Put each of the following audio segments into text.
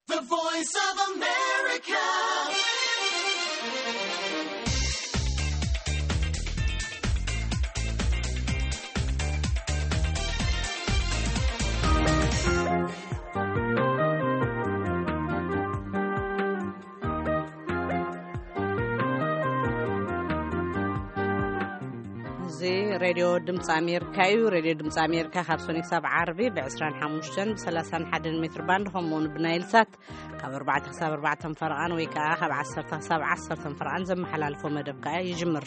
The Voice of America. እዚ ሬድዮ ድምፂ ኣሜሪካ እዩ። ሬድዮ ድምፂ ኣሜሪካ ካብ ሶኒ ክሳብ ዓርቢ ብ25 ብ31 ሜትር ባንድ፣ ከምኡውን ብናይል ሳት ካብ ኣርባዕተ ክሳብ ኣርባዕተ ፈረቓን ወይ ከዓ ካብ ዓሰርተ ክሳብ ዓሰርተ ፈረቓን ዘመሓላልፎ መደብ ከዓ ይጅምር።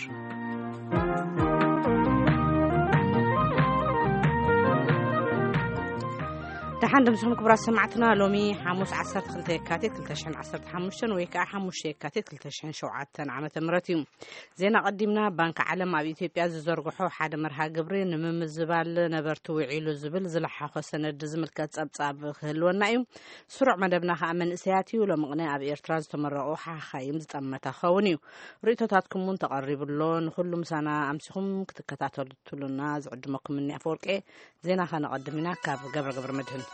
ደሓን ድምፅኹም ክቡራት ሰማዕትና። ሎሚ ሓሙስ ዓሰርተ ክልተ የካቲት ክልተ ሽሕን ዓሰርተ ሓሙሽተን ወይ ከዓ ሓሙሽተ የካቲት ክልተ ሽሕን ሸውዓተን ዓመተ ምህረት እዩ። ዜና ቀዲምና። ባንኪ ዓለም ኣብ ኢትዮጵያ ዝዘርግሖ ሓደ መርሃ ግብሪ ንምምዝባል ነበርቲ ውዒሉ ዝብል ዝለሓኾ ሰነድ ዝምልከት ጸብጻብ ክህልወና እዩ። ስሩዕ መደብና ከኣ መንእሰያት እዩ። ሎሚ ቅነ ኣብ ኤርትራ ዝተመረቑ ሓኻይም ዝጠመተ ክኸውን እዩ። ርእይቶታትኩም እውን ተቐሪቡ ኣሎ። ንኹሉ ምሳና ኣምሲኹም ክትከታተሉና ዝዕድመኩም እኒ ኣፈወርቄ። ዜና ከነቐድም ኢና ካብ ገብረ ገብረ መድህን።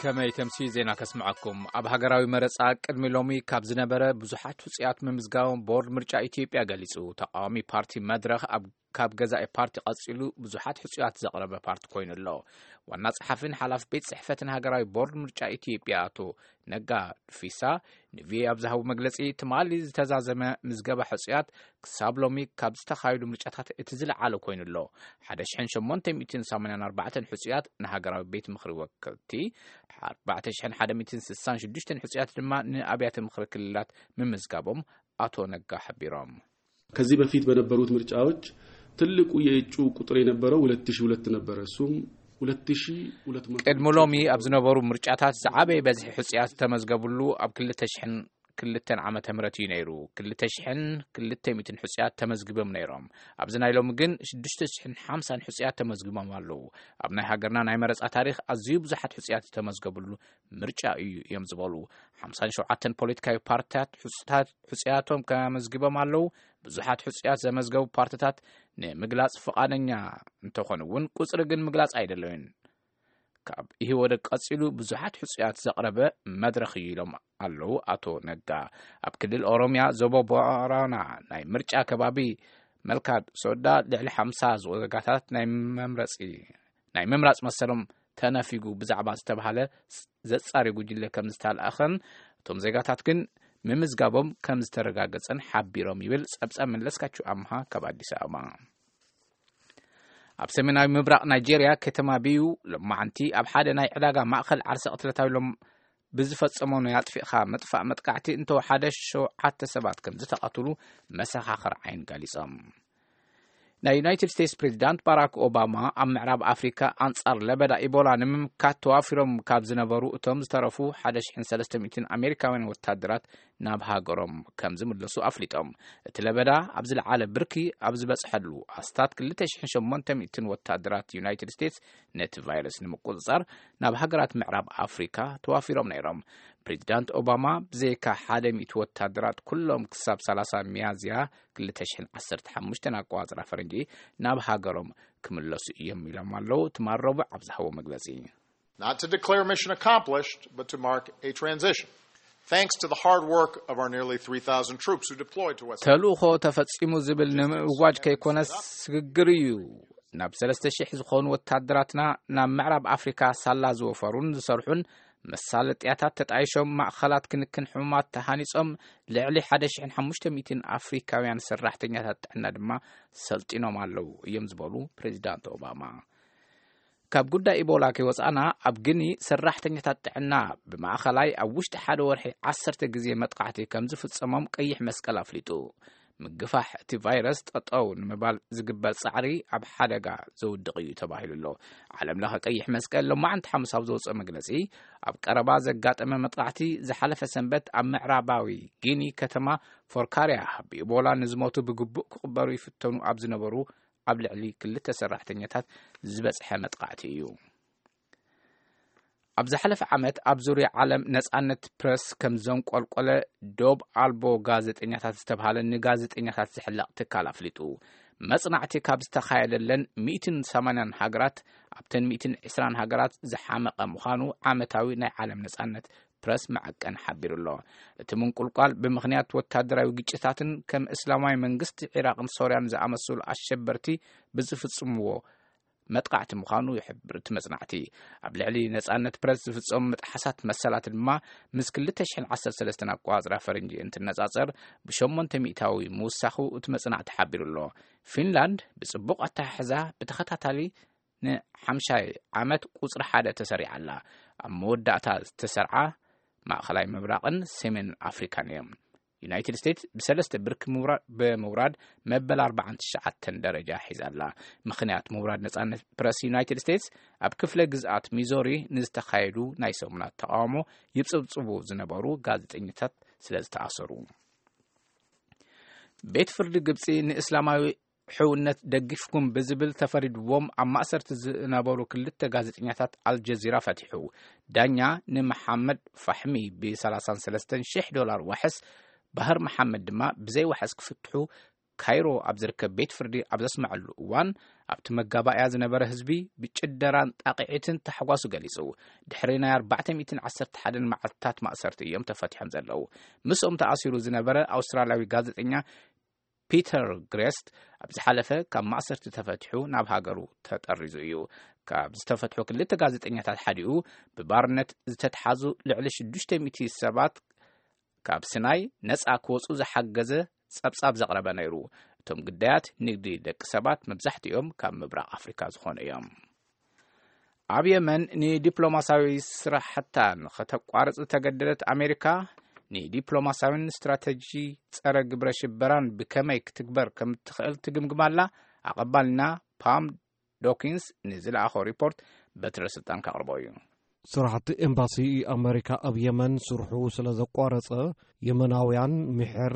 ከመይ ተምሲ ዜና ከስምዐኩም። ኣብ ሃገራዊ መረጻ ቅድሚ ሎሚ ካብ ዝነበረ ብዙሓት ሕጹያት ምምዝጋቦም ቦርድ ምርጫ ኢትዮጵያ ገሊጹ። ተቃዋሚ ፓርቲ መድረኽ ኣብ፣ ካብ ገዛኢ ፓርቲ ቀጺሉ ብዙሓት ሕጹያት ዘቕረበ ፓርቲ ኮይኑ ኣሎ። ዋና ጸሓፊን ሓላፊ ቤት ጽሕፈትን ሃገራዊ ቦርድ ምርጫ ኢትዮጵያ ኣቶ ነጋ ዱፊሳ ንቪኦኤ ኣብ ዝሃቡ መግለጺ፣ ትማሊ ዝተዛዘመ ምዝገባ ሕጹያት ክሳብ ሎሚ ካብ ዝተኻየዱ ምርጫታት እቲ ዝለዓለ ኮይኑ ኣሎ። ሓደ ሽሕን ሸሞንተ ሚእትን ሰማንያን ኣርባዕተን ሕጹያት ንሃገራዊ ቤት ምኽሪ ወከልቲ፣ ኣርባዕተ ሽሕን ሓደ ሚእትን ስሳን ሽዱሽተን ሕጹያት ድማ ንኣብያተ ምኽሪ ክልላት ምምዝጋቦም ኣቶ ነጋ ሓቢሮም። ከዚህ በፊት በነበሩት ምርጫዎች ትልቁ የእጩ ቁጥር የነበረው ሁለት ሺህ ሁለት ነበረ። እሱም ሁለት ሺህ ሁለት መቶ ቅድሚ ሎሚ ኣብ ዝነበሩ ምርጫታት ዝዓበየ በዝሒ ሕጹያት ዝተመዝገብሉ ኣብ ክልተ ሽሕን ክልተን ዓመተ ምህረት እዩ ነይሩ። ክልተ ሽሕን ክልተ ሚእትን ሕጹያት ተመዝጊቦም ነይሮም። ኣብዚ ናይ ሎሚ ግን ሽዱሽተ ሽሕን ሓምሳን ሕጹያት ተመዝጊቦም ኣለዉ። ኣብ ናይ ሃገርና ናይ መረጻ ታሪኽ ኣዝዩ ብዙሓት ሕጹያት ዝተመዝገብሉ ምርጫ እዩ እዮም ዝበሉ ሓምሳን ሸውዓተን ፖለቲካዊ ፓርትታት ሕጹታት፣ ሕጹያቶም ከመዝግቦም ኣለዉ። ብዙሓት ሕጹያት ዘመዝገቡ ፓርትታት ንምግላጽ ፍቓደኛ እንተኾኑ እውን ቁጽሪ ግን ምግላጽ ኣይደለዩን። ካብ ኢህወደግ ቀጺሉ ብዙሓት ሕጹያት ዘቕረበ መድረኽ እዩ ኢሎም ኣለዉ ኣቶ ነጋ። ኣብ ክልል ኦሮምያ ዞቦ ቦረና ናይ ምርጫ ከባቢ መልካድ ሶዳ ልዕሊ ሓምሳ ዜጋታት ናይ መምረጺ፣ ናይ ምምራጽ መሰሎም ተነፊጉ ብዛዕባ ዝተባሃለ ዘጻሪ ጉጅለ ከም ዝተላእኸን እቶም ዜጋታት ግን ምምዝጋቦም ከም ዝተረጋገጸን ሓቢሮም ይብል ጸብጻብ መለስካቸው ኣምሃ ካብ ኣዲስ ኣበባ። ኣብ ሰሜናዊ ምብራቕ ናይጄርያ ከተማ ቢዩ ሎማዓንቲ ኣብ ሓደ ናይ ዕዳጋ ማእኸል ዓርሰ ቅትለታዊ ሎም ብዝፈጸሞ ናይ ኣጥፊእኻ ምጥፋእ መጥቃዕቲ እንተወሓደ ሸውዓተ ሰባት ከም ዝተቐትሉ መሰኻኽር ዓይን ገሊጾም። ናይ ዩናይትድ ስቴትስ ፕሬዚዳንት ባራክ ኦባማ ኣብ ምዕራብ ኣፍሪካ ኣንጻር ለበዳ ኢቦላ ንምምካት ተዋፊሮም ካብ ዝነበሩ እቶም ዝተረፉ ሓደ ሽሕን ሰለስተ ሚእትን ኣሜሪካውያን ወታደራት ናብ ሃገሮም ከም ዝምለሱ ኣፍሊጦም። እቲ ለበዳ ኣብ ዝለዓለ ብርኪ ኣብ ዝበጽሐሉ ኣስታት ክልተ ሽሕን ሸሞንተ ሚእትን ወታደራት ዩናይትድ ስቴትስ ነቲ ቫይረስ ንምቁጽጻር ናብ ሃገራት ምዕራብ ኣፍሪካ ተዋፊሮም ነይሮም። ፕሬዚዳንት ኦባማ ብዘይካ ሓደ ሚእቲ ወታደራት ኩሎም ክሳብ ሰላሳ ሚያዝያ ክልተ ሽሕን ዓሰርተ ሓሙሽተን ኣቆጻጽራ ፈረንጂ ናብ ሃገሮም ክምለሱ እዮም ኢሎም ኣለዉ። ትማል ረቡዕ ኣብ ዝሃቦ መግለጺ። Not to declare mission accomplished, but to mark a transition. Thanks to the hard work of our nearly three thousand troops who deployed to West ተልእኾ ተፈጺሙ ዝብል ንምእዋጅ ከይኮነስ ስግግር እዩ። ናብ ሰለስተ ሽሕ ዝኾኑ ወታደራትና ናብ ምዕራብ ኣፍሪካ ሳላ ዝወፈሩን ዝሰርሑን መሳለጥያታት ተጣይሾም፣ ማእኸላት ክንክን ሕሙማት ተሃኒጾም፣ ልዕሊ ሓደ ሽሕን ሓሙሽተ ሚእትን ኣፍሪካውያን ሰራሕተኛታት ጥዕና ድማ ሰልጢኖም ኣለዉ እዮም ዝበሉ ፕሬዚዳንት ኦባማ። ካብ ጉዳይ ኢቦላ ከይወፃእና ኣብ ግኒ ሰራሕተኛታት ጥዕና ብማእኸላይ ኣብ ውሽጢ ሓደ ወርሒ ዓሰርተ ግዜ መጥቃዕቲ ከም ዝፍፀሞም ቀይሕ መስቀል ኣፍሊጡ። ምግፋሕ እቲ ቫይረስ ጠጠው ንምባል ዝግበር ፃዕሪ ኣብ ሓደጋ ዘውድቕ እዩ ተባሂሉ ኣሎ። ዓለም ለኸ ቀይሕ መስቀል ሎማዓንቲ ሓሙስ ኣብ ዘውፅኦ መግለፂ ኣብ ቀረባ ዘጋጠመ መጥቃዕቲ ዝሓለፈ ሰንበት ኣብ ምዕራባዊ ጊኒ ከተማ ፎርካርያ ብኢቦላ ንዝሞቱ ብግቡእ ክቕበሩ ይፍተኑ ኣብ ዝነበሩ ኣብ ልዕሊ ክልተ ሰራሕተኛታት ዝበፅሐ መጥቃዕቲ እዩ። ኣብ ዝሓለፈ ዓመት ኣብ ዙርያ ዓለም ነጻነት ፕረስ ከም ዘንቆልቆለ ዶብ ኣልቦ ጋዜጠኛታት ዝተብሃለ ንጋዜጠኛታት ዝሕለቕ ትካል ኣፍሊጡ። መጽናዕቲ ካብ ዝተኻየደለን ሚእትን ሰማንያን ሃገራት፣ ኣብተን ሚእትን ዕስራን ሃገራት ዝሓመቐ ምዃኑ ዓመታዊ ናይ ዓለም ነጻነት ፕረስ መዐቀን ሓቢሩ ኣሎ። እቲ ምንቁልቋል ብምኽንያት ወታደራዊ ግጭታትን ከም እስላማዊ መንግስቲ ዒራቕን ሶርያን ዝኣመሰሉ ኣሸበርቲ ብዝፍጽምዎ መጥቃዕቲ ምዃኑ ይሕብር እቲ መጽናዕቲ። ኣብ ልዕሊ ነጻነት ፕረስ ዝፍጸሙ ምጥሓሳት መሰላት ድማ ምስ ክልተ ሽሕን ዓሰርተ ሰለስተን ኣቆጻጽራ ፈረንጂ እንትነጻጸር ብሸሞንተ ሚእታዊ ምውሳኹ እቲ መጽናዕቲ ሓቢሩ ኣሎ። ፊንላንድ ብጽቡቕ ኣተሓሕዛ ብተኸታታሊ ንሓምሻይ ዓመት ቁጽሪ ሓደ ተሰሪዓ ኣላ። ኣብ መወዳእታ ዝተሰርዓ ማእኸላይ ምብራቕን ሰሜን ኣፍሪካን እዮም። ዩናይትድ ስቴትስ ብሰለስተ ብርኪ ምውራ-፣ ብምውራድ መበል ኣርባዓን ትሽዓተን ደረጃ ሒዛ ኣላ። ምኽንያት ምውራድ ነጻነት ፕረስ ዩናይትድ ስቴትስ ኣብ ክፍለ ግዝኣት ሚዞሪ ንዝተኻየዱ ናይ ሰሙናት ተቓውሞ ይጽብጽቡ ዝነበሩ ጋዜጠኛታት ስለ ዝተኣሰሩ። ቤት ፍርዲ ግብጺ ንእስላማዊ ሕውነት ደጊፍኩም ብዝብል ተፈሪድዎም ኣብ ማእሰርቲ ዝነበሩ ክልተ ጋዜጠኛታት ኣልጀዚራ ፈቲሑ። ዳኛ ንመሓመድ ፋሕሚ ብ ሰላሳን ሰለስተን ሽሕ ዶላር ዋሕስ፣ ባህር መሓመድ ድማ ብዘይ ዋሕስ ክፍትሑ ካይሮ ኣብ ዝርከብ ቤት ፍርዲ ኣብ ዘስመዐሉ እዋን፣ ኣብቲ መጋባእያ ዝነበረ ህዝቢ ብጭደራን ጣቕዒትን ታሕጓሱ ገሊጹ። ድሕሪ ናይ ኣርባዕተ ሚእትን ዓሰርተ ሓደን መዓልትታት ማእሰርቲ እዮም ተፈቲሖም ዘለዉ። ምስኦም ተኣሲሩ ዝነበረ ኣውስትራልያዊ ጋዜጠኛ ፒተር ግሬስት ኣብ ዝሓለፈ ካብ ማእሰርቲ ተፈቲሑ ናብ ሃገሩ ተጠሪዙ እዩ። ካብ ዝተፈትሑ ክልተ ጋዜጠኛታት ሓዲኡ፣ ብባርነት ዝተትሓዙ ልዕሊ ሽዱሽተ ሚእቲ ሰባት ካብ ስናይ ነጻ ክወጹ ዝሓገዘ ጸብጻብ ዘቕረበ ነይሩ። እቶም ግዳያት ንግዲ ደቂ ሰባት መብዛሕትኦም ካብ ምብራቕ ኣፍሪካ ዝኾኑ እዮም። ኣብ የመን ንዲፕሎማሲያዊ ስራሕታ ንኸተቋርጽ ዝተገደደት ኣሜሪካ፣ ንዲፕሎማሲያዊን ስትራተጂ ጸረ ግብረ ሽበራን ብከመይ ክትግበር ከም እትኽእል ትግምግም ኣላ። ኣቐባልና ፓም ዶኪንስ ንዝለኣኾ ሪፖርት በትረ ስልጣን ከቕርቦ እዩ። ስራሕቲ ኤምባሲ ኣመሪካ ኣብ የመን ስርሑ ስለ ዘቋረጸ፣ የመናውያን ምሕር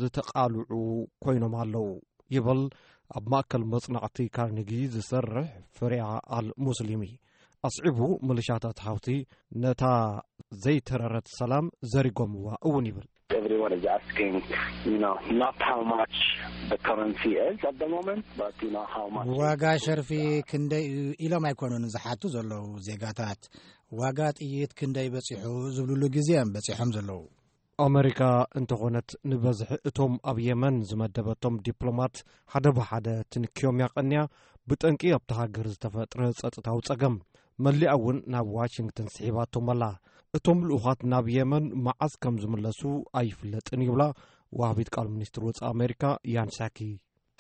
ዝተቓልዑ ኮይኖም ኣለዉ፣ ይብል ኣብ ማእከል መጽናዕቲ ካርኒጊ ዝሰርሕ ፍሪያ ኣል ሙስሊሚ። ኣስዒቡ፣ ምልሻታት ሐውቲ ነታ ዘይተረረት ሰላም ዘሪጎምዋ እውን ይብል። Everyone is asking, you know, not how much the currency is at the moment, but, you know, how much is ዋጋ the ሸርፊ currency. ክንደይ እዩ ኢሎም ኣይኮኑን ዝሓቱ ዘለዉ ዜጋታት። ዋጋ ጥይት ክንደይ በጺሑ ዝብሉሉ ግዜ እዮም በጺሖም ዘለዉ። ኣመሪካ እንተኾነት፣ ንበዝሒ እቶም ኣብ የመን ዝመደበቶም ዲፕሎማት ሓደ ብሓደ ትንክዮም ያቐንያ፣ ብጠንቂ ኣብታ ሃገር ዝተፈጥረ ጸጥታዊ ጸገም። መሊኣ እውን ናብ ዋሽንግተን ስሒባቶም ኣላ። እቶም ልኡኻት ናብ የመን መዓስ ከም ዝምለሱ ኣይፍለጥን ይብላ ወሃቢት ቃል ሚኒስትር ወጻኢ ኣሜሪካ ያን ሳኪ።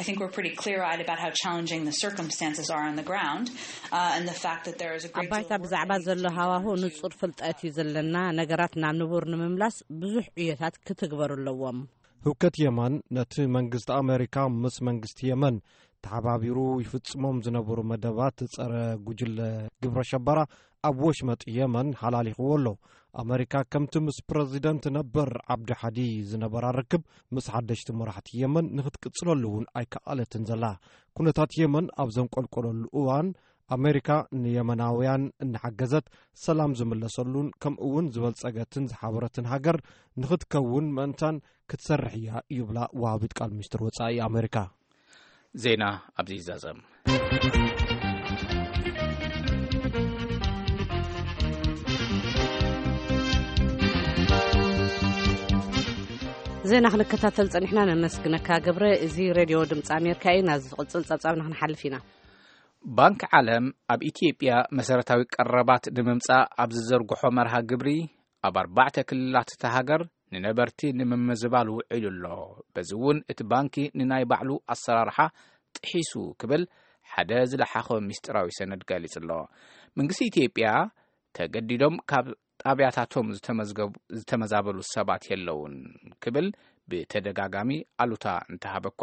I think we're pretty clear-eyed about how challenging the circumstances are on the ground, uh, and the fact that there is a great ኣብ ባይታ deal of work ብዛዕባ that needs ዘሎ to be done ሃዋሁ to ንጹር ፍልጠት እዩ ዘለና። ነገራት ናብ ንቡር ንምምላስ ብዙሕ ዕዮታት ክትግበሩ ኣለዎም። ህውከት የመን ነቲ መንግስቲ ኣመሪካ ምስ መንግስቲ የመን ተሓባቢሩ ይፍጽሞም ዝነበሩ መደባት ጸረ ጉጅለ ግብረ ሸበራ ኣብ ወሽመጥ የመን ሓላሊኽዎ ኣሎ። ኣመሪካ ከምቲ ምስ ፕረዚደንት ነበር ዓብዲ ሓዲ ዝነበራ ርክብ ምስ ሓደሽቲ መራሕቲ የመን ንኽትቅጽለሉ እውን ኣይከኣለትን ዘላ። ኩነታት የመን ኣብ ዘንቆልቆለሉ እዋን፣ ኣመሪካ ንየመናውያን እናሓገዘት ሰላም ዝምለሰሉን ከምኡ እውን ዝበልጸገትን ዝሓበረትን ሃገር ንኽትከውን ምእንታን ክትሰርሕ እያ ይብላ ወሃቢት ቃል ሚኒስትር ወጻኢ ኣመሪካ። ዜና ኣብዚ ይዛዘም። ዜና ክንከታተል ጸኒሕና፣ ነመስግነካ ገብረ። እዚ ሬድዮ ድምፂ ኣሜሪካ እዩ። ናብ ዝቕጽል ጸብጻብ ንክንሓልፍ ኢና። ባንክ ዓለም ኣብ ኢትዮጵያ መሰረታዊ ቀረባት ንምምጻእ ኣብ ዝዘርግሖ መርሃ ግብሪ፣ ኣብ ኣርባዕተ ክልላት እታ ሃገር ንነበርቲ ንምምዝባል ውዒሉ ኣሎ። በዚ እውን እቲ ባንኪ ንናይ ባዕሉ ኣሰራርሓ ጥሒሱ ክብል ሓደ ዝለሓኾ ምስጢራዊ ሰነድ ገሊጹ ኣሎ። መንግስቲ ኢትዮጵያ ተገዲዶም ካብ ጣብያታቶም ዝተመዝገቡ፣ ዝተመዛበሉ ሰባት የለውን ክብል ብተደጋጋሚ ኣሉታ እንተሃበ እኳ፣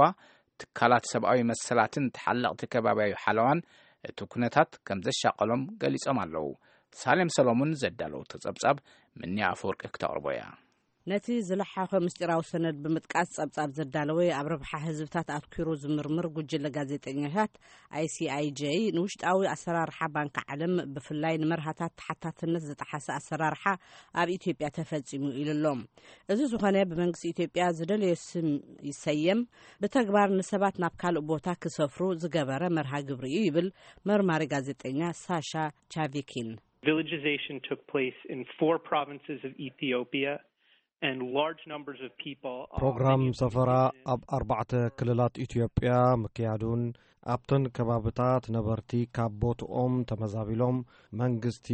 ትካላት ሰብኣዊ መሰላትን ተሓለቕቲ ከባቢያዊ ሓለዋን እቲ ኩነታት ከም ዘሻቐሎም ገሊጾም ኣለዉ። ሳሌም ሰሎሞን ዘዳለወቶ ጸብጻብ ምንያ ኣፈወርቂ ክተቕርቦ እያ። ነቲ ዝለሓኸ ምስጢራዊ ሰነድ ብምጥቃስ ጸብጻብ ዘዳለወ ኣብ ረብሓ ህዝብታት ኣትኲሩ ዝምርምር ጉጅለ ጋዜጠኛታት፣ ኣይሲኣይጀይ፣ ንውሽጣዊ ኣሰራርሓ ባንክ ዓለም፣ ብፍላይ ንመርሃታት ተሓታትነት ዝጠሓሰ ኣሰራርሓ ኣብ ኢትዮጵያ ተፈጺሙ ኢሉ ኣሎ። እዚ ዝኾነ፣ ብመንግስቲ ኢትዮጵያ ዝደለዮ ስም ይሰየም፣ ብተግባር ንሰባት ናብ ካልእ ቦታ ክሰፍሩ ዝገበረ መርሃ ግብሪ እዩ ይብል መርማሪ ጋዜጠኛ ሳሻ ቻቪኪን። Villagization took place in four provinces of Ethiopia, and large numbers of people are ፕሮግራም ሰፈራ ኣብ ኣርባዕተ ክልላት ኢትዮጵያ ምክያዱን ኣብተን ከባብታት ነበርቲ ካብ ቦትኦም ተመዛቢሎም መንግስቲ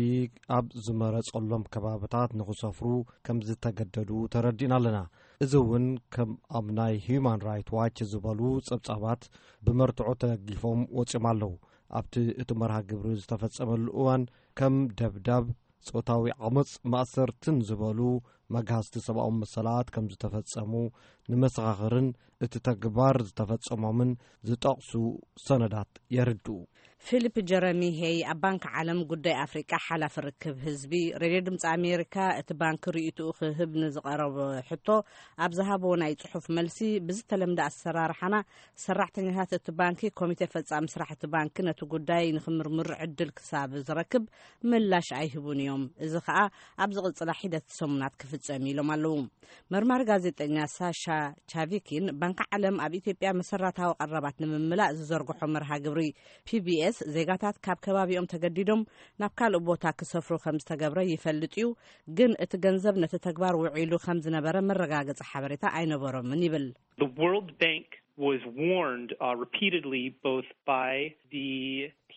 ኣብ ዝመረጸሎም ከባብታት ንኽሰፍሩ ከም ዝተገደዱ ተረዲእና ኣለና። እዚ እውን ከም ኣብ ናይ ሂዩማን ራይት ዋች ዝበሉ ጸብጻባት ብመርትዖ ተደጊፎም ወጺኦም ኣለዉ። ኣብቲ እቲ መርሃ ግብሪ ዝተፈጸመሉ እዋን ከም ደብዳብ፣ ጾታዊ ዓመጽ፣ ማእሰርትን ዝበሉ መግሃስቲ ሰብኣዊ መሰላት ከም ዝተፈጸሙ ንመሰኻኽርን እቲ ተግባር ዝተፈጸሞምን ዝጠቕሱ ሰነዳት የርድኡ። ፊሊፕ ጀረሚ ሄይ ኣብ ባንክ ዓለም ጉዳይ ኣፍሪቃ ሓላፊ ርክብ ህዝቢ፣ ሬድዮ ድምፂ ኣሜሪካ እቲ ባንክ ርእይትኡ ክህብ ንዝቐረበ ሕቶ ኣብ ዝሃቦ ናይ ጽሑፍ መልሲ፣ ብዝተለምደ ኣሰራርሓና ሰራሕተኛታት እቲ ባንኪ፣ ኮሚቴ ፈጻሚ ስራሕ እቲ ባንኪ ነቲ ጉዳይ ንክምርምሩ ዕድል ክሳብ ዝረክብ ምላሽ ኣይህቡን እዮም። እዚ ከኣ ኣብ ዝቕጽላ ሒደት ሰሙናት ክፍጸም ኢሎም ኣለዉ። መርማሪ ጋዜጠኛ ሳሻ ቻቪኪን፣ ባንኪ ዓለም ኣብ ኢትዮጵያ መሰረታዊ ቀረባት ንምምላእ ዝዘርግሖ መርሃ ግብሪ ፒቢኤስ፣ ዜጋታት ካብ ከባቢኦም ተገዲዶም ናብ ካልእ ቦታ ክሰፍሩ ከም ዝተገብረ ይፈልጥ እዩ፣ ግን እቲ ገንዘብ ነቲ ተግባር ውዒሉ ከም ዝነበረ መረጋገጺ ሓበሬታ ኣይነበሮምን ይብል። The World Bank was warned, uh, repeatedly, both by the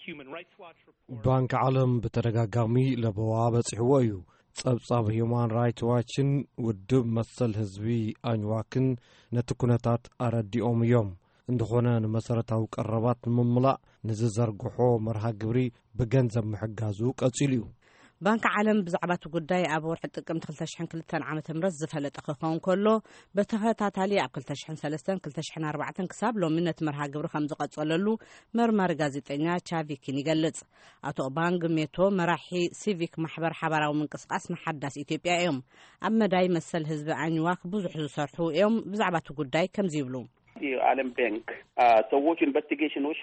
Human Rights Watch report. ባንክ ዓለም ብተደጋጋሚ ለበዋ በጺሕዎ እዩ። ጸብጻብ ሂዩማን ራይትስ ዋችን ውድብ መሰል ህዝቢ ኣኝዋክን ነቲ ኩነታት ኣረዲኦም እዮም። እንተኾነ፣ ንመሰረታዊ ቀረባት ንምምላእ ንዝዘርግሖ መርሃ ግብሪ ብገንዘብ ምሕጋዙ ቀጺሉ እዩ። ባንኪ ዓለም ብዛዕባ እቲ ጉዳይ ኣብ ወርሒ ጥቅምቲ ክልተ ሽሕን ክልተን ዓመተ ምህረት ዝፈለጠ ክኸውን ከሎ፣ ብተኸታታሊ ኣብ ክልተ ሽሕን ሰለስተን፣ ክልተ ሽሕን ኣርባዕተን ክሳብ ሎሚ ነቲ መርሃ ግብሪ ከም ዝቐጸለሉ መርማሪ ጋዜጠኛ ቻቪኪን ይገልጽ። ኣቶ ኦባንግ ሜቶ፣ መራሒ ሲቪክ ማሕበር ሓባራዊ ምንቅስቃስ ንሓዳስ ኢትዮጵያ እዮም። ኣብ መዳይ መሰል ህዝቢ ኣኝዋክ ብዙሕ ዝሰርሑ እዮም። ብዛዕባ እቲ ጉዳይ ከምዚ ይብሉ። የዓለም ባንክ፣ አ፣ ሰዎች ኢንቨስቲጌሽኖች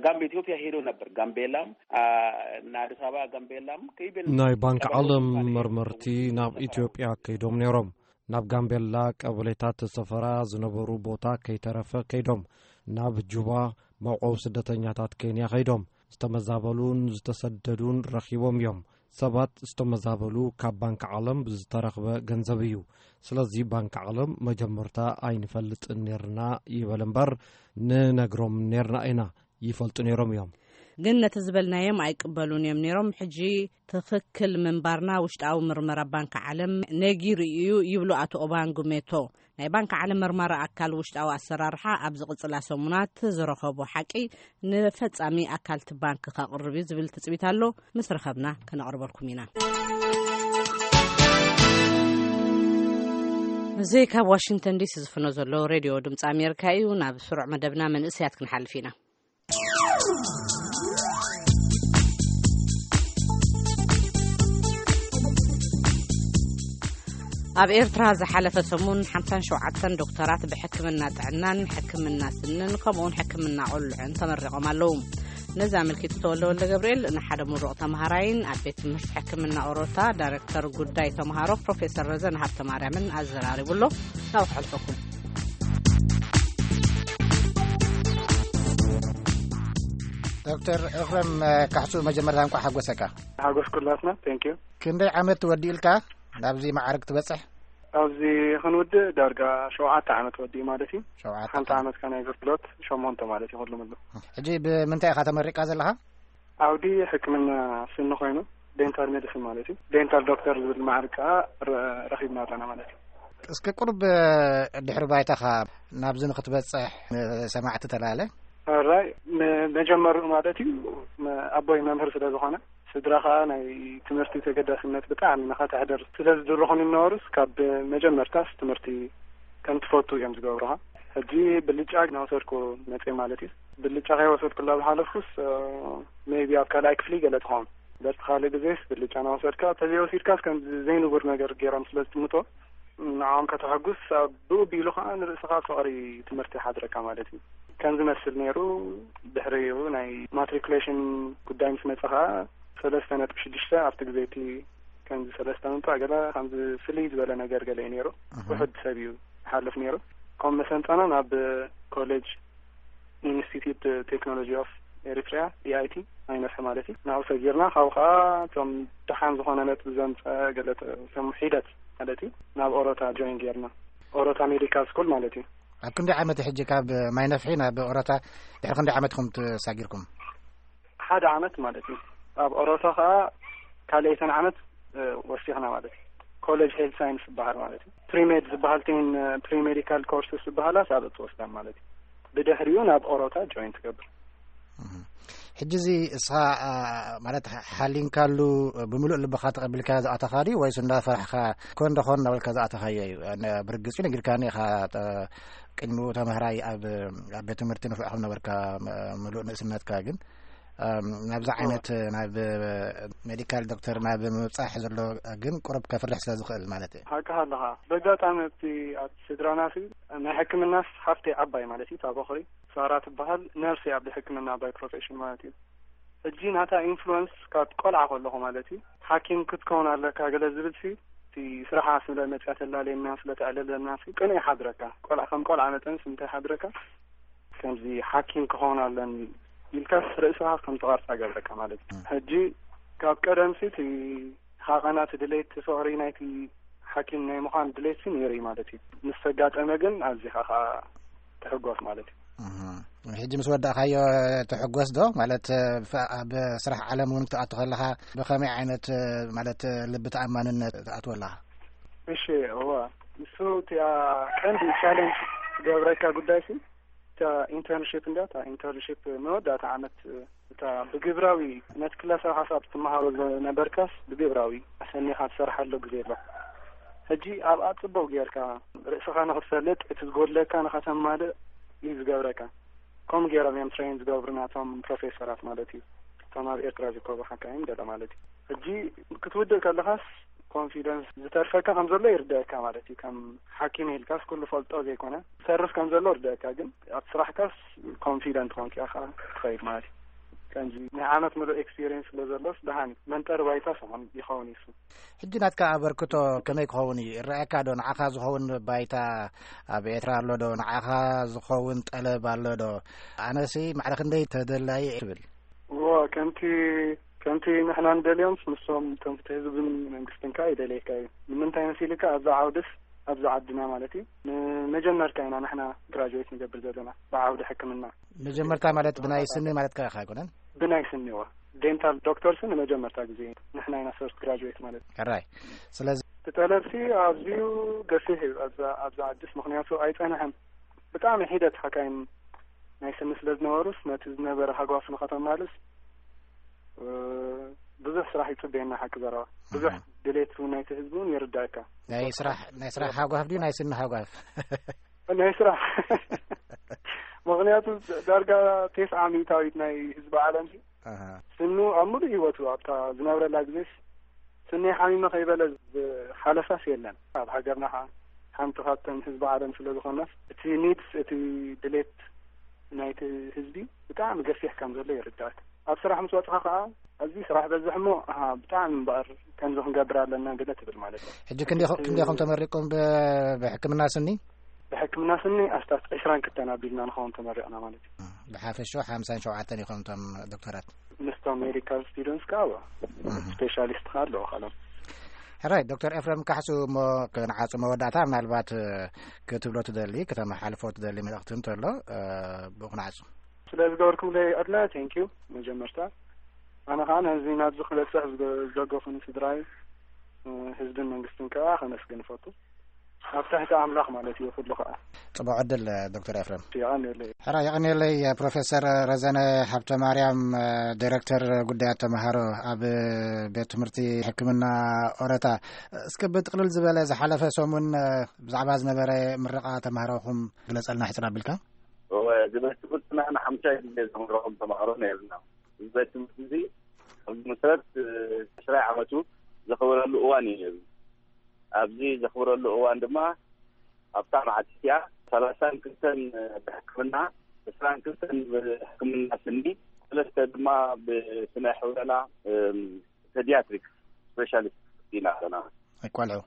ጋምቤ ኢትዮጵያ ሄዶ ነበር። ጋምቤላም፣ አ፣ እና አዲስ አበባ ጋምቤላም ከይበል ናይ ባንክ ዓለም መርመርቲ ናብ ኢትዮጵያ ከይዶም ነይሮም። ናብ ጋምቤላ ቀበሌታት ሰፈራ ዝነበሩ ቦታ ከይተረፈ ከይዶም። ናብ ጁባ መዕቆቢ ስደተኛታት ኬንያ ከይዶም። ዝተመዛበሉን ዝተሰደዱን ረኺቦም እዮም። ሰባት ዝተመዛበሉ ካብ ባንክ ዓለም ብዝተረኽበ ገንዘብ እዩ። ስለዚ ባንክ ዓለም መጀመርታ ኣይንፈልጥን ነርና ይበል እምበር፣ ንነግሮም ነርና ኢና፣ ይፈልጡ ነይሮም እዮም። ግን ነቲ ዝበልናዮም ኣይቅበሉን እዮም ነይሮም። ሕጂ ትኽክል ምንባርና ውሽጣዊ ምርመራ ባንክ ዓለም ነጊሩ እዩ ይብሉ ኣቶ ኦባንግ ሜቶ። ናይ ባንክ ዓለም መርማሪ ኣካል ውሽጣዊ ኣሰራርሓ ኣብ ዝቕጽላ ሰሙናት ዝረኸቦ ሓቂ ንፈጻሚ ኣካል እቲ ባንክ ከቕርብ እዩ ዝብል ትጽቢት ኣሎ። ምስ ረኸብና ከነቕርበልኩም ኢና። እዚ ካብ ዋሽንግተን ዲሲ ዝፍኖ ዘሎ ሬድዮ ድምፂ ኣሜሪካ እዩ። ናብ ስሩዕ መደብና መንእሰያት ክንሓልፍ ኢና። ኣብ ኤርትራ ዝሓለፈ ሰሙን ሓምሳን ሸውዓተን ዶክተራት ብሕክምና ጥዕናን ሕክምና ስንን ከምኡውን ሕክምና ቆልዑን ተመሪቖም ኣለዉ። ነዚ ኣመልኪቱ ተወልደ ወልደ ገብርኤል ንሓደ ምሩቕ ተምሃራይን ኣብ ቤት ትምህርቲ ሕክምና ኦሮታ ዳይሬክተር ጉዳይ ተምሃሮ ፕሮፌሰር ረዘን ሃብተ ማርያምን ኣዘራሪቡ ኣሎ። ናብኡ ክሕልፈኩም። ዶክተር ኤፍረም ካሕሱ፣ መጀመርታ እንኳዕ ሓጎሰካ። ሓጎስ ኩላትና። Thank you። ክንደይ ዓመት ወዲእልካ ናብዚ ማዕርግ ትበጽሕ? ኣብዚ ክንውድእ ዳርጋ ሸውዓተ ዓመት ወዲእ ማለት እዩ። ሸውዓተ ሓንቲ ዓመት። ዓመት ከ ናይ ኣገልግሎት፣ ሸሞንተ ማለት እዩ ኩሉ ምሉ። ሕጂ ብምንታይ ኢኻ ተመሪቃ ዘለኻ? ዓውዲ ሕክምና ስኒ ኮይኑ፣ ዴንታል ሜዲሲን ማለት እዩ። ዴንታል ዶክተር ዝብል ማዕርግ ከኣ ረ-፣ ረኺብና ኣለና ማለት እዩ። እስኪ ቁሩብ ድሕሪ ባይታኻ ናብዚ ንኽትበጽሕ ንሰማዕቲ ተላለ። ራይ፣ መ-፣ መጀመሪኡ ማለት እዩ፣ መ-፣ ኣቦይ መምህር ስለ ዝኾነ፣ ስድራ ኸኣ ናይ ትምህርቲ ተገዳስነት ብጣዕሚ ንኸተሕድር ስለ ዝድርኹኒ ነበሩስ፣ ካብ መጀመርታስ ትምህርቲ ከም ትፈቱ እዮም ዝገብሩኻ። ሕጂ ብልጫ እናወሰድኩ መጽየ ማለት እዩ። ብልጫ ከይወሰድኩላ ዝሓለፍኩስ፣ እ፣ ሜይቢ ኣብ ካልኣይ ክፍሊ ገለ ትኸውን። በቲ ካልእ ግዜስ ብልጫ እናወሰድካ፣ ተዘይወሲድካስ ከም ዘይንቡር ነገር ገይሮም ስለ ዝጥምቶ፣ ንዓኦም ከተሐጉስ፣ ኣብ ብኡ ቢሉ ከዓ ንርእስኻ ፍቕሪ ትምህርቲ ይሓድረካ ማለት እዩ። ከም ዝመስል ነይሩ። ድሕሪኡ ናይ ማትሪኩሌሽን ጉዳይ ምስ መጸ ከዓ፣ ሰለስተ ነጥቢ ሽዱሽተ ኣብቲ ግዜ እቲ ከምዚ ሰለስተ ምምጻእ ገለ ከምዚ ፍልይ ዝበለ ነገር ገለ እዩ ነይሩ። ውሑድ ሰብ እዩ ይሓልፍ ነይሩ። ከም መሰንጠና ናብ ኮሌጅ ኢንስቲትዩት ቴክኖሎጂ ኦፍ ኤሪትሪያ፣ ኢኣይቲ፣ ኣይነፍሒ ማለት እዩ። ናብኡ ሰጊርና፣ ካብኡ ከዓ እቶም ደሓን ዝኾነ ነጥቢ ዘምፀ ገለ ተ-፣ እቶም ሒደት ማለት እዩ፣ ናብ ኦሮታ ጆይን ጌርና። ኦሮታ ሜዲካል ስኩል ማለት እዩ። ኣብ ክንደይ ዓመት ሕጂ ካብ ማይነፍሒ ናብ ኦሮታ ድሕሪ ክንደይ ዓመት ኢኹም ተሳጊርኩም? ሓደ ዓመት ማለት እዩ። ኣብ ኦሮታ ከዓ ካልኣይተን ዓመት፣ እ፣ ወሲኽና ማለት እዩ። ኮሌጅ ሄልት ሳይንስ ዝበሃል ማለት እዩ። ፕሪሜድ ዝበሃል ቴን፣ እ፣ ፕሪሜዲካል ኮርስስ ዝበሃላ ሳብ እትወስዳን ማለት እዩ። ብድሕሪኡ ናብ ኦሮታ ጆይን ትገብር። እህ። ሕጂ እዚ እስኻ፣ አ፣ ማለት ሓ-፣ ሓሊንካሉ ብምሉእ ልብኻ ተቐቢልካ ዝኣተኻ ድዩ ወይስ እንዳፈራሕካ ኮን ደኾን እናበልካ ዝኣተኻዮ እዩ? ነ-፣ ብርግጽ እዩ ነጊርካኒ ኢኻ፣ ተ-፣ ቅድሚኡ ተማሃራይ ኣብ፣ ኣብ ቤት ትምህርቲ ንፉዕ ከም ነበርካ፣ ም-፣ ምሉእ ንእስነትካ ግን፣ እም፣ ናብዚ ኦ። ዓይነት ናብ ሜዲካል ዶክተር ናብ ምብጻሕ ዘሎ ግን ቁሩብ ከፍርሕ ስለ ዝኽእል ማለት እዩ። ሓቅኻ ኣለኻ። በጋጣሚ ኣብቲ ኣብ ስድራና ሲ ናይ ሕክምናስ ሓፍተይ ዓባይ ማለት እዩ፣ እታ በኹሪ ሳራ ትበሃል፣ ነርስ እያ ብሕክምና ባይ ፕሮፌሽን ማለት እዩ። ሕጂ ናታ ኢንፍሉወንስ ካብ ቆልዓ ከለኹ ማለት እዩ፣ ሓኪም ክትከውን ኣለካ ገለ ዝብል ሲ፣ እቲ ስራሓ ስለ መጽያ ተላለየና፣ ስለ ተዕለለና ሲ፣ ቅኑዕ ይሓድረካ። ቆልዓ ከም ቆልዓ መጠን ሲ እንታይ ይሓድረካ? ከምዚ ሓኪም ክኸውን ኣለኒ ኢልካስ ርእስኻ ከም ትቐርጻ ገብረካ ማለት እዩ። ሕጂ ካብ ቀደም ሲ እቲ ሃቐና እቲ ድሌት ፍቕሪ ናይቲ ሓኪም ናይ ምዃን ድሌት ሲ ነይሩ እዩ ማለት እዩ። ምስ ተጋጠመ ግን ኣዚኻ ኸኣ ትሕጎስ ማለት እዩ። እህ። ሕጂ ምስ ወዳእካዮ ትሕጎስ ዶ? ማለት፣ ፍ-፣ ኣብ ስራሕ ዓለም እውን ክትኣቱ ከለኻ ብኸመይ ዓይነት፣ ማለት፣ ልቢ ተኣማንነት ትኣትወ ኣለኻ? እሺ፣ እዋ። ንሱ እቲኣ ቀንዲ ቻሌንጅ ትገብረካ ጉዳይ ሲ፣ እታ ኢንተርንሺፕ እንድያ፣ እታ ኢንተርንሺፕ መወዳእታ ዓመት፣ እታ ብግብራዊ ነቲ ክላሳዊ ሓሳብ ትመሃሮ ዝነበርካስ ብግብራዊ ኣሰኒኻ ትሰርሓሉ ግዜ ኣሎ። ሕጂ ኣብኣ ጽቡቕ ጌርካ ርእስኻ ንኽትፈልጥ፣ እቲ ዝጎድለካ ንኸተማልእ እዩ ዝገብረካ። ከምኡ ገይሮም እዮም ትሬን ዝገብሩ ናቶም ፕሮፌሰራት ማለት እዩ። እቶም ኣብ ኤርትራ ዝርከቡ ሓካይም ገለ ማለት እዩ። ሕጂ ክትውድእ ከለኻስ ኮንፊደንስ ዝተርፈካ ከም ዘሎ ይርደአካ ማለት እዩ። ከም ሓኪም ኢልካስ ኩሉ ፈልጦ ዘይኮነ ዝተርፍ ከም ዘሎ ይርደአካ፣ ግን ኣብ ስራሕካስ ኮንፊደንት ኮንካ ኢኻ ትኸይድ ማለት እዩ። ከምዚ ናይ ዓመት ምሉእ ኤክስፒሪየንስ ስለ ዘሎስ ደሃን እዩ። መንጠሪ ባይታ ሰሆን ይኸውን እዩ እሱ። ሕጂ ናትካ ኣበርክቶ ከመይ ክኸውን እዩ? ይረኣየካ ዶ? ንዓኻ ዝኸውን ባይታ ኣብ ኤርትራ ኣሎ ዶ? ንዓኻ ዝኸውን ጠለብ ኣሎ ዶ? ኣነሲ ማዕረ ክንደይ ተደላዪ እየ ትብል? እዎ፣ ከምቲ፣ ከምቲ ንሕና ንደልዮምስ ንሶም፣ ከምቲ ህዝብን መንግስትን ከኣ ይደልየካ እዩ። ንምንታይ መሲልካ ኣብዛ ዓውድስ፣ ኣብዛ ዓድና ማለት እዩ፣ ንመጀመርታ ኢና ንሕና ግራጁዌት ንገብር ዘለና ብዓውዲ ሕክምና። መጀመርታ ማለት ብናይ ስኒ ማለትካ ኢኻ ኣይኮነን? ብናይ ስኒ፣ እዎ። ዴንታል ዶክተርስ ንመጀመርታ ግዜ ንሕና ኢና ፈርስት ግራጁዌት ማለት እዩ። ሕራይ። ስለዚ እቲ ጠለብሲ ኣዝዩ ገፊሕ እዩ ኣብዛ፣ ኣብዛ ዓድስ፣ ምኽንያቱ ኣይጸንሐን። ብጣዕሚ ሒደት ሓካይም ናይ ስኒ ስለ ዝነበሩስ፣ ነቲ ዝነበረ ሃጓፍ ንኸተማልስ፣ እ፣ ብዙሕ ስራሕ ይጽበየና፣ ሓቂ ዘረባ። ብዙሕ እህ። ድሌት እውን ናይቲ ህዝቢ እውን ይርዳእካ። ናይ ስራሕ፣ ናይ ስራሕ ሃጓፍ ድዩ ናይ ስኒ ሃጓፍ? ናይ ስራሕ። ምኽንያቱ ዳርጋ ተስዓ ሚእታዊት ናይ ህዝቢ ዓለም ሲ፣ ኣሃ። ስኑ ኣብ ምሉእ ህይወቱ ኣብታ ዝነብረላ ግዜስ ስኒ ሓሚመ ከይበለ ዝሓለፋስ የለን። ኣብ ሃገርና ኸዓ ሓንቲ ካብተን ህዝቢ ዓለም ስለ ዝኾናስ፣ እቲ ኒድስ፣ እቲ ድሌት ናይቲ ህዝቢ ብጣዕሚ ገፊሕ ከም ዘሎ ይርዳእካ። ኣብ ስራሕ ምስ ወጽኻ ኸዓ፣ እዚ ስራሕ በዝሕ እሞ፣ ኣሃ፣ ብጣዕሚ እምበኣር ከምዚ ክንገብር ኣለና ገለ ትብል ማለት እዩ። ሕጂ ክንደይ ኢኹ-፣ ክንደይ ኢኹም ተመሪቕኩም ብ-፣ ብሕክምና ስኒ? ብሕክምና ስኒ ኣስታት ዕስራን ክልተን ኣቢልና ንኸውን ተመሪቕና ማለት እዩ። ብሓፈሽኡ ሓምሳን ሸውዓተን ኢኹም እቶም ዶክተራት? ምስቶም ሜዲካል ስቱደንትስ ከኣ፣ እዋ፣ እህ። ስፔሻሊስት ከኣ ኣለዉ ካልኦም። ሕራይ፣ ዶክተር ኤፍረም ካሕሱ፣ እሞ ክንዓጹ መወዳእታ ምናልባት፣ እ፣ ክትብሎ ትደሊ፣ ክተመሓልፎ ትደሊ መልእኽቲ እንተሎ፣ እ፣ ብኡ ክንዓጹ። ስለ ዝገበርኩምለይ ዕድለ፣ ቴንኪዩ። መጀመርታ፣ ኣነ ከኣ ነዚ ናብዚ ክበጽሕ ዝገ-፣ ዝደገፉኒ ስድራይ፣ እ፣ ህዝብን መንግስትን ከኣ ከመስግን እፈቱ። ኣብ ትሕቲ ኣምላኽ ማለት እዩ ኩሉ ከኣ። ጽቡቕ ዕድል፣ ዶክተር ኤፍረም። የቐንየለይ። ሕራ፣ የቐንየለይ። ፕሮፌሰር ረዘነ ሃብተ ማርያም፣ ዲሬክተር ጉዳያት ተምሃሮ ኣብ ቤት ትምህርቲ ሕክምና ኦረታ፣ እስከ ብጥቕልል ዝበለ ዝሓለፈ ሰሙን ብዛዕባ ዝነበረ ምረቓ ተምሃሮኹም ግለጸልና ሕጽር ኣቢልካ። እወ፣ እዚ ቤት ትምህርትና ንሓምሻይ ግዜ ዘምረቖም ተምሃሮ ነይርና። እዚ ቤት ትምህርቲ እዚ ኣብ መሰረት ዕስራይ ዓመቱ ዘኸበረሉ እዋን እዩ ነይሩ። ኣብዚ ዘኽብረሉ እዋን ድማ ኣብታ መዓልቲ እቲኣ ሰላሳን ክልተን ብሕክምና፣ ዕስራን ክልተን ብሕክምና ስኒ፣ ሰለስተ ድማ ብስነ ሕውረላ፣ ፔዲያትሪክስ ስፔሻሊስት ኢና ኣለና። ኣይቋልዑ።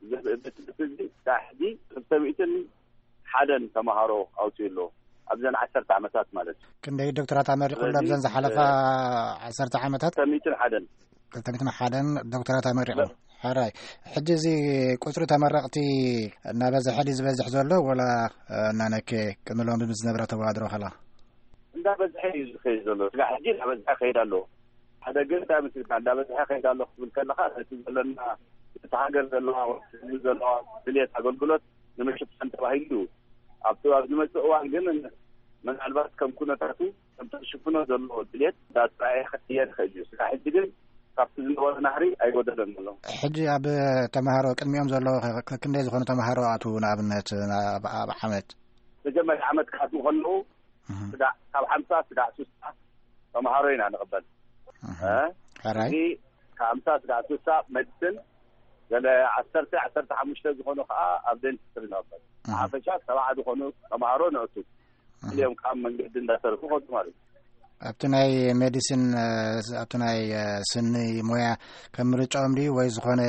እዚ ትምህርቲ እዚ ክሳብ ሕጂ ክልተ ሚእትን ሓደን ተምሃሮ ኣውፅኡ ኣሎ ኣብዘን ዓሰርተ ዓመታት ማለት እዩ። ክንደይ ዶክተራት ኣመሪቑ ኣሎ ኣብዘን ዝሓለፋ ዓሰርተ ዓመታት? ክልተ ሚእትን ሓደን። ክልተ ሚእትን ሓደን ዶክተራት ኣመሪቑ። ሕራይ። ሕጂ እዚ ቁፅሪ ተመረቕቲ እናበዝሐ ድዩ ዝበዝሕ ዘሎ ወላ እናነከ ቅድሚ ሎሚ ምስ ዝነበረ ተወዳድሮ ከላ? እንዳበዝሐ እዩ ዝኸይድ ዘሎ። ስጋ ሕጂ እንዳበዝሐ ከይድ ኣሎ። ሓደ ግን እንታይ መስልካ እንዳበዝሐ ከይድ ኣሎ ክትብል ከለኻ ነቲ ዘለና እቲ ሃገር ዘለዋ ህዝቢ ዘለዋ ድልየት ኣገልግሎት ንምሽፋን ተባሂሉ እዩ። ኣብቲ ኣብ ዝመፅእ እዋን ግን ምናልባት ከም ኩነታቱ ከምቲ ዝሽፍኖ ዘሎ ድልየት እንዳተረኣየ ክቅየር ይኽእል እዩ። ስጋ ሕጂ ግን ካብቲ ዝነበረ ናህሪ ኣይጎደለን ዘሎ። ሕጂ ኣብ ተምሃሮ ቅድሚኦም ዘለዉ ከ ክንደይ ዝኾኑ ተምሃሮ ኣትዉ ንኣብነት ኣብ ዓመት? መጀመርያ ዓመት ክኣትዉ ከለዉ ስጋዕ ካብ ሓምሳ ስጋዕ ስሳ ተምሃሮ ኢና ንቕበል። ሕራይ። እዚ ካብ ሓምሳ ስጋዕ ስሳ ሜዲሲን፣ ገለ ዓሰርተ ዓሰርተ ሓሙሽተ ዝኾኑ ከዓ ኣብ ዴንቲስትሪ ንቕበል። ሓፈሻ ሰብዓ ዝኾኑ ተምሃሮ ነእቱ። እዚኦም ከዓ መንገዲ እንዳሰርሑ ከዱ ማለት እዩ። ኣብቲ ናይ ሜዲሲን ኣብቲ ናይ ስኒ ሞያ ከም ምርጫኦም ድዩ ወይ ዝኾነ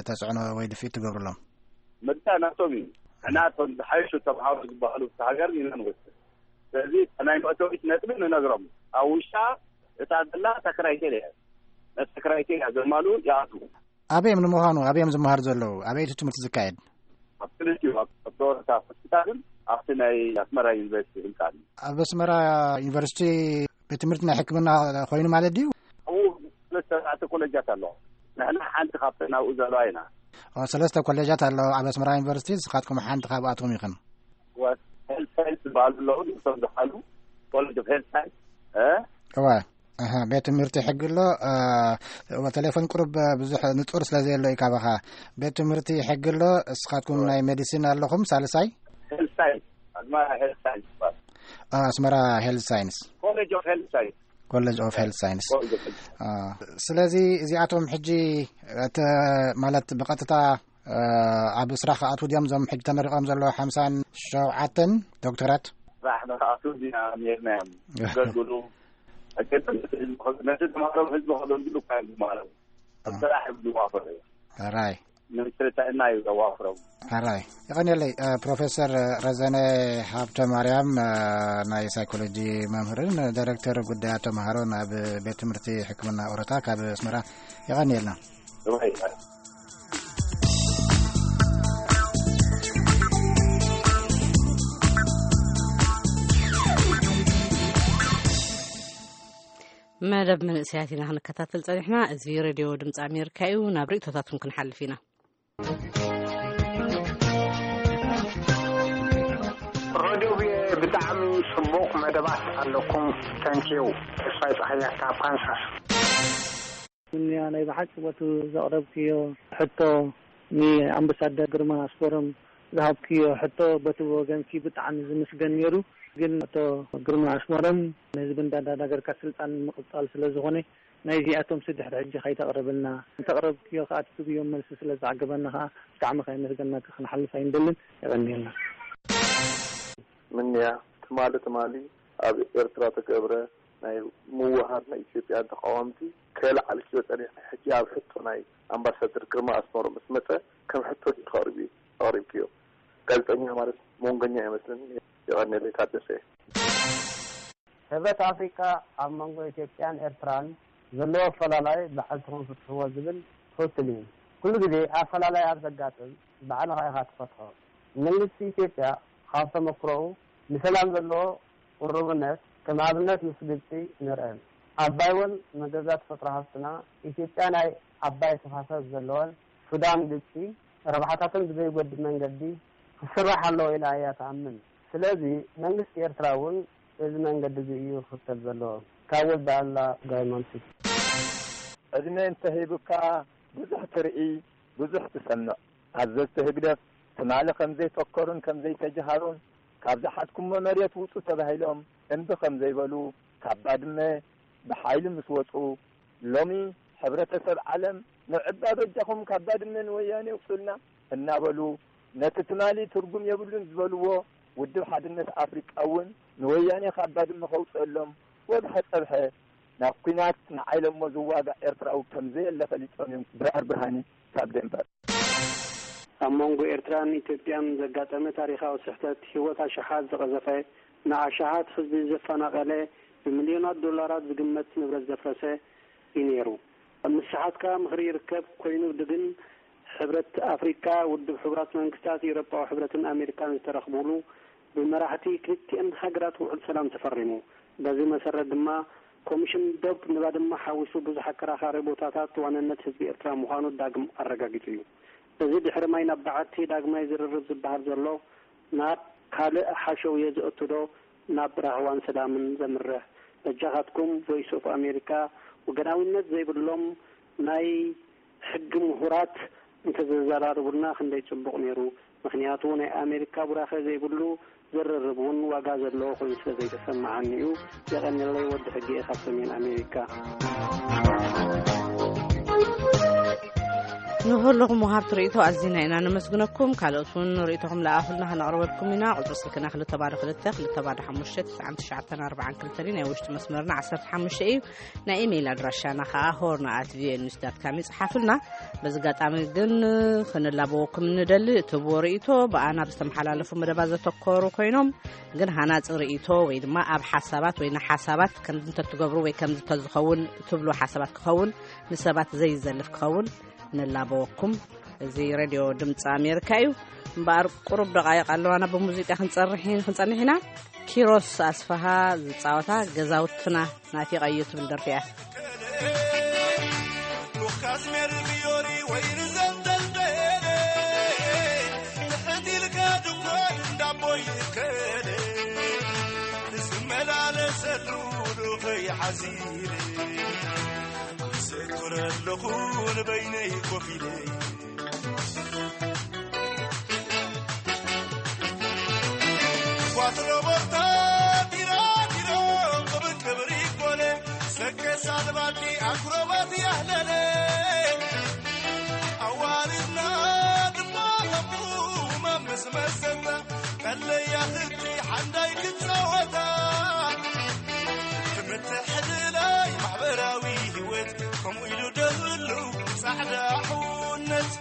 ተፅዕኖ ወይ ድፍኢት ትገብርሎም? ምርጫ ናቶም እዩ። ንሕና እቶም ዝሓይሹ ተምሃሮ ዝበሃሉ ኣብቲ ሃገር ኢና ንወስድ። ስለዚ ናይ መእተዊት ነጥቢ ንነግሮም። ኣብ ውሽጣ እታ ዘላ እታ ክራይቴርያ እያ። ነቲ ክራይቴርያ ዘማሉ ይኣትዉ። ኣበይ እዮም ንምዃኑ ኣበይ እዮም ዝመሃሩ ዘለዉ? ኣበይ እቲ ትምህርቲ ዝካየድ? ኣብ ክልቲኡ ኣብ ዶርታ ሆስፒታልን ኣብቲ ናይ ኣስመራ ዩኒቨርሲቲ ህንፃን። ኣብ ኣስመራ ዩኒቨርሲቲ ቤት ትምህርቲ ናይ ሕክምና ኮይኑ ማለት ድዩ? ኣብኡ ሰለስተ ኮለጃት ኣለዋ። ንሕና ሓንቲ ካብተን ኣብኡ ዘለዋ ኢና። ሰለስተ ኮሌጃት ኣለዋ ኣብ ኣስመራ ዩኒቨርሲቲ፣ ንስኻትኩም ሓንቲ ካብኣትኩም ኢኽን። ሄልት ሳይንስ ዝበሃሉ ኣለዉ፣ ንሶም ዝሓሉ ኮሌጅ ኦፍ ሄልት ሳይንስ። እዋ ቤት ትምህርቲ ሕጊ ኣሎ። ቴሌፎን ቁሩብ ብዙሕ ንጹር ስለ ዘየሎ እዩ ካባኻ። ቤት ትምህርቲ ሕጊ ኣሎ፣ እስኻትኩም ናይ ሜዲሲን ኣለኹም ሳልሳይ? ሄልት ሳይንስ፣ ኣስመራ ሄልት ሳይንስ ይባል። ኣስመራ ሄልት ሳይንስ። ኮሌጅ ኦፍ ሄልት ሳይንስ። ኮሌጅ ኦፍ ሄልት ሳይንስ። ስለዚ እዚኣቶም ሕጂ ማለት ብቐጥታ ኣብ ስራሕ ክኣትዉ ድዮም እዞም ሕጂ ተመሪቖም ዘለዉ ሓምሳን ሸውዓተን ዶክተራት? ስራሕ ንክኣትዉ ዲና ነርና እዮም ዘገልግሉ። ነቲ ተምሃሮም ህዝቢ ከገልግሉ እኳ እዮም ዝመሃሮም። ኣብ ስራሕ እዮም ዝዋፈሩ እዮም። ራይ ሚኒስትሪ ጥዕና እዩ ዘዋፍሮም። ራይ ይቐንየለይ። ፕሮፌሰር ረዘነ ሃብተ ማርያም ናይ ሳይኮሎጂ መምህርን ዳይሬክተር ጉዳያት ተምሃሮን ኣብ ቤት ትምህርቲ ሕክምና ኦሮታ ካብ ኣስመራ። ይቐንየልና። መደብ መንእሰያት ኢና ክንከታተል ጸኒሕና። እዚ ሬድዮ ድምፂ ኣሜሪካ እዩ። ናብ ርእቶታትኩም ክንሓልፍ ኢና። ሬድዮ ብጣዕሚ ጽቡቕ መደባት ኣለኩም። ተንኪዩ። ተስፋይ ጸሃያ ካብ ካንሳስ። ምንያ ናይ ብሓቂ ቦቲ ዘቕረብክዮ ሕቶ ንኣምባሳደር ግርማ ኣስመሮም ዝሃብክዮ ሕቶ በቲ ወገንኪ ብጣዕሚ ዝምስገን ነይሩ። ግን ኣቶ ግርማ ኣስመሮም ንህዝቢ እንዳዳናገርካ ስልጣን ምቕጻል ስለ ዝኾነ ናይዚኣቶም ስድሕሪ ሕጂ ከይተቕርብልና እንተቕረብክዮ ከኣ ትህብዮም መልሲ ስለ ዝዓገበና ከኣ ብጣዕሚ ከየመስገናካ ክንሓልፍ ኣይንደልን። የቐንየልና። ምንያ ትማሊ ትማሊ ኣብ ኤርትራ ተገብረ ናይ ምውሃድ ናይ ኢትዮጵያ ተቃወምቲ ከየለዓልክዮ ጸኒሕኪ፣ ሕጂ ኣብ ሕቶ ናይ ኣምባሳደር ግርማ ኣስመሮም ምስ መጸ ከም ሕቶ ዲኺ ኣቕሪብክዮ? ጋዜጠኛ ማለት መንጎኛ ኣይመስልን። የቐንየለይ። ታደሰ። ሕብረት ኣፍሪቃ ኣብ መንጎ ኢትዮጵያን ኤርትራን ዘለዎ ኣፈላላይ ባዕልትኹም ፍትሕዎ ዝብል ትኽክል እዩ። ኩሉ ግዜ ኣፈላላይ ኣብ ዘጋጥም ባዕልኻ ኢኻ ትፈትሖ። መንግስቲ ኢትዮጵያ ካብ ተመክሮኡ ንሰላም ዘለዎ ቅሩብነት ከም ኣብነት ምስ ግብጺ ንርአ። ኣባይ ወን መገዛ ተፈጥሮ ሃፍትና ኢትዮጵያ ናይ ኣባይ ተፋሰስ ዘለወን ሱዳን፣ ግብጺ ረብሓታተን ብዘይጎድእ መንገዲ ክስራሕ ኣለዎ ኢላ እያ ትኣምን። ስለዚ መንግስቲ ኤርትራ እውን እዚ መንገዲ እዚ እዩ ክኽተል ዘለዎ። ካብ ወልደኣላ ጋይማንሲ። ዕድመ እንተሂቡካ ብዙሕ ትርኢ፣ ብዙሕ ትሰምዕ። ኣዘዝቲ ህግደፍ ትማሊ ከም ዘይፈከሩን ከም ዘይተጀሃሩን ካብ ዝሓዝኩሞ መሬት ውጹ ተባሂሎም እምቢ ከም ዘይበሉ ካብ ባድመ ብሓይሊ ምስ ወጹ ሎሚ ሕብረተሰብ ዓለም ንዕባ በጃኹም ካብ ባድመ ንወያኔ ውጹልና እናበሉ፣ ነቲ ትማሊ ትርጉም የብሉን ዝበልዎ ውድብ ሓድነት ኣፍሪቃ እውን ንወያኔ ካብ ባድመ ከውጽአሎም ወግሐ ጸብሐ ናብ ኲናት ንዓይለሞ ዝዋጋእ ኤርትራዊ ከም ዘየለ ፈሊጦም እዮም። ድራር ብርሃነ ካብ ደንበር። ኣብ መንጎ ኤርትራን ኢትዮጵያን ዘጋጠመ ታሪኻዊ ስሕተት፣ ህይወት ኣሽሓት ዝቐዘፈ፣ ንኣሽሓት ህዝቢ ዘፈናቐለ፣ ብሚልዮናት ዶላራት ዝግመት ንብረት ዘፍረሰ እዩ ነይሩ። ኣብ ምስሓት ከኣ ምኽሪ ይርከብ ኮይኑ፣ ግን ሕብረት ኣፍሪቃ፣ ውድብ ሕቡራት መንግስታት፣ ኤውሮጳዊ ሕብረትን ኣሜሪካን ዝተረኽቡሉ፣ ብመራሕቲ ክልቲኣን ሃገራት ውዕል ሰላም ተፈሪሙ። በዚ መሰረት ድማ፣ ኮሚሽን ዶብ ንባድመ ሓዊሱ ብዙሕ ኣከራኻሪ ቦታታት ዋንነት ህዝቢ ኤርትራ ምዃኑ ዳግም ኣረጋጊጹ እዩ። እዚ ድሕሪ ማይ ናብ በዓቲ ዳግማይ ዝርርብ ዝበሃል ዘሎ፣ ናብ ካልእ ሓሸውየ ዝእቱ ዶ፣ ናብ ራህዋን ሰላምን ዘምርሕ? በጃኻትኩም፣ ቮይስ ኦፍ ኣሜሪካ፣ ወገናዊነት ዘይብሎም ናይ ሕጊ ምሁራት እንተዘዘራርቡልና ክንደይ ጽቡቕ ነይሩ። ምኽንያቱ፣ ናይ ኣሜሪካ ቡራኸ ዘይብሉ ዝርርብ እውን ዋጋ ዘለዎ ኮይኑ ስለ ዘይተሰማዓኒ እዩ። የቐንየለይ። ወዲ ሕጊ እየ ካብ ሰሜን ኣሜሪካ። ንኹልኹም ወሃብቲ ርእይቶ ኣዚና ኢና ነመስግነኩም። ካልኦት እውን ርእይቶኹም ለኣኹልና፣ ከነቕርበልኩም ኢና። ቁጽሪ ስልክና ክልተ ባዶ ክልተ፣ ክልተ ባዶ ሓሙሽተ፣ ትስዓን ትሽዓተን ኣርባዓን ክልተን እዩ። ናይ ውሽጢ መስመርና ዓሰርተ ሓሙሽተ እዩ። ናይ ኢሜይል ኣድራሻና ኸኣ ሆርን ኣት ቪኦኤ ኒውስ ዳት ካም እዩ። ጽሓፉልና። በዚ ኣጋጣሚ ግን ክንላበወኩም ንደሊ፣ እትህብዎ ርእይቶ ብኣና ብዝተመሓላለፉ መደባት ዘተኮሩ ኮይኖም፣ ግን ሃናጺ ርእይቶ ወይ ድማ ኣብ ሓሳባት ወይ ንሓሳባት ከምዚ እንተትገብሩ ወይ ከምዚ እንተዝኸውን ትብሉ ሓሳባት ክኸውን፣ ንሰባት ዘይዘልፍ ክኸውን ንላበወኩም። እዚ ሬድዮ ድምፂ ኣሜሪካ እዩ። እምበኣር ቁሩብ ደቃይቕ ኣለዋና ብሙዚቃ ክንጸርሕ፣ ክንጸንሕ ኢና። ኪሮስ ኣስፍሃ ዝጻወታ ገዛውትና ናፊቐዮ ትብል ደርፊ እያ። ሉካስ ሜሪ ፊዮሪ ወይ ርዘንተል ደየለ፣ ትሕት ኢልካ ድኳን እንዳቦይ ከለ፣ ዝመላለሰሉ ዱኸይ ሓዚለ፣ ዘክረ ኣለኹ ንበይነይ ኮፍ ኢለ። ኳትሮ ቦርታ ዲራ ዲሮ፣ ቅብር ቅብር ይኮነ፣ ሰከ ሳልባቲ ኣክሮባት ያህለለ። ኣዋልድና ድማ ለቡ መምስ መሰታ፣ ቀለያ ህቲ ሓንዳይ ክጻወታ። ትምህርቲ ሕድላይ ማሕበራዊ ህይወት፣ ከምኡ ኢሉ ደህሉ ጻዕዳ ሕውነት።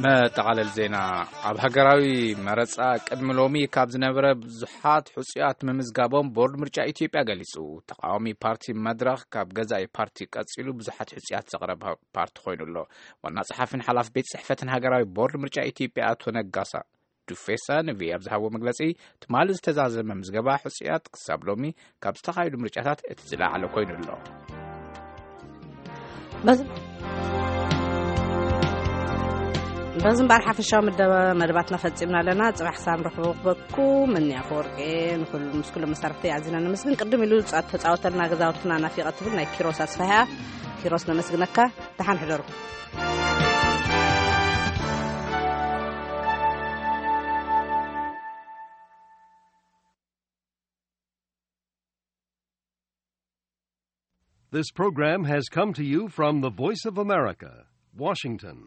መጠቓለል ዜና። ኣብ ሃገራዊ መረጻ ቅድሚ ሎሚ ካብ ዝነበረ ብዙሓት ሕጹያት ምምዝጋቦም ቦርድ ምርጫ ኢትዮጵያ ገሊጹ። ተቓዋሚ ፓርቲ መድረኽ ካብ ገዛኢ ፓርቲ ቀጺሉ ብዙሓት ሕጹያት ዘቕረበ ፓርቲ ኮይኑ ኣሎ። ዋና ጸሓፊን ሓላፊ ቤት ጽሕፈትን ሃገራዊ ቦርድ ምርጫ ኢትዮጵያ ኣቶ ነጋሳ ዱፌሳ ንቪኦኤ ኣብ ዝሃቦ መግለጺ፣ ትማሊ ዝተዛዘመ ምዝገባ ሕጹያት ክሳብ ሎሚ ካብ ዝተኻየዱ ምርጫታት እቲ ዝለዓለ ኮይኑ ኣሎ። በዚ በዚ እምበኣር ሓፈሻዊ መደብ-፣ መደባትና ፈጺምና ኣለና። ጽባሕ ሳም ረኽበኩም እኒ ኣፈወርቂ ንኹሉ፣ ምስ ኩሎም መሳርሕቲ ኣዚና ነመስግን። ቅድም ኢሉ ጻ-፣ ተጻወተልና ገዛውትና ናፊቐ ትብል ናይ ኪሮስ ኣስፋሕያ። ኪሮስ ነመስግነካ። ደሓን ሕደሩ። This program has come to you from the Voice of America, Washington.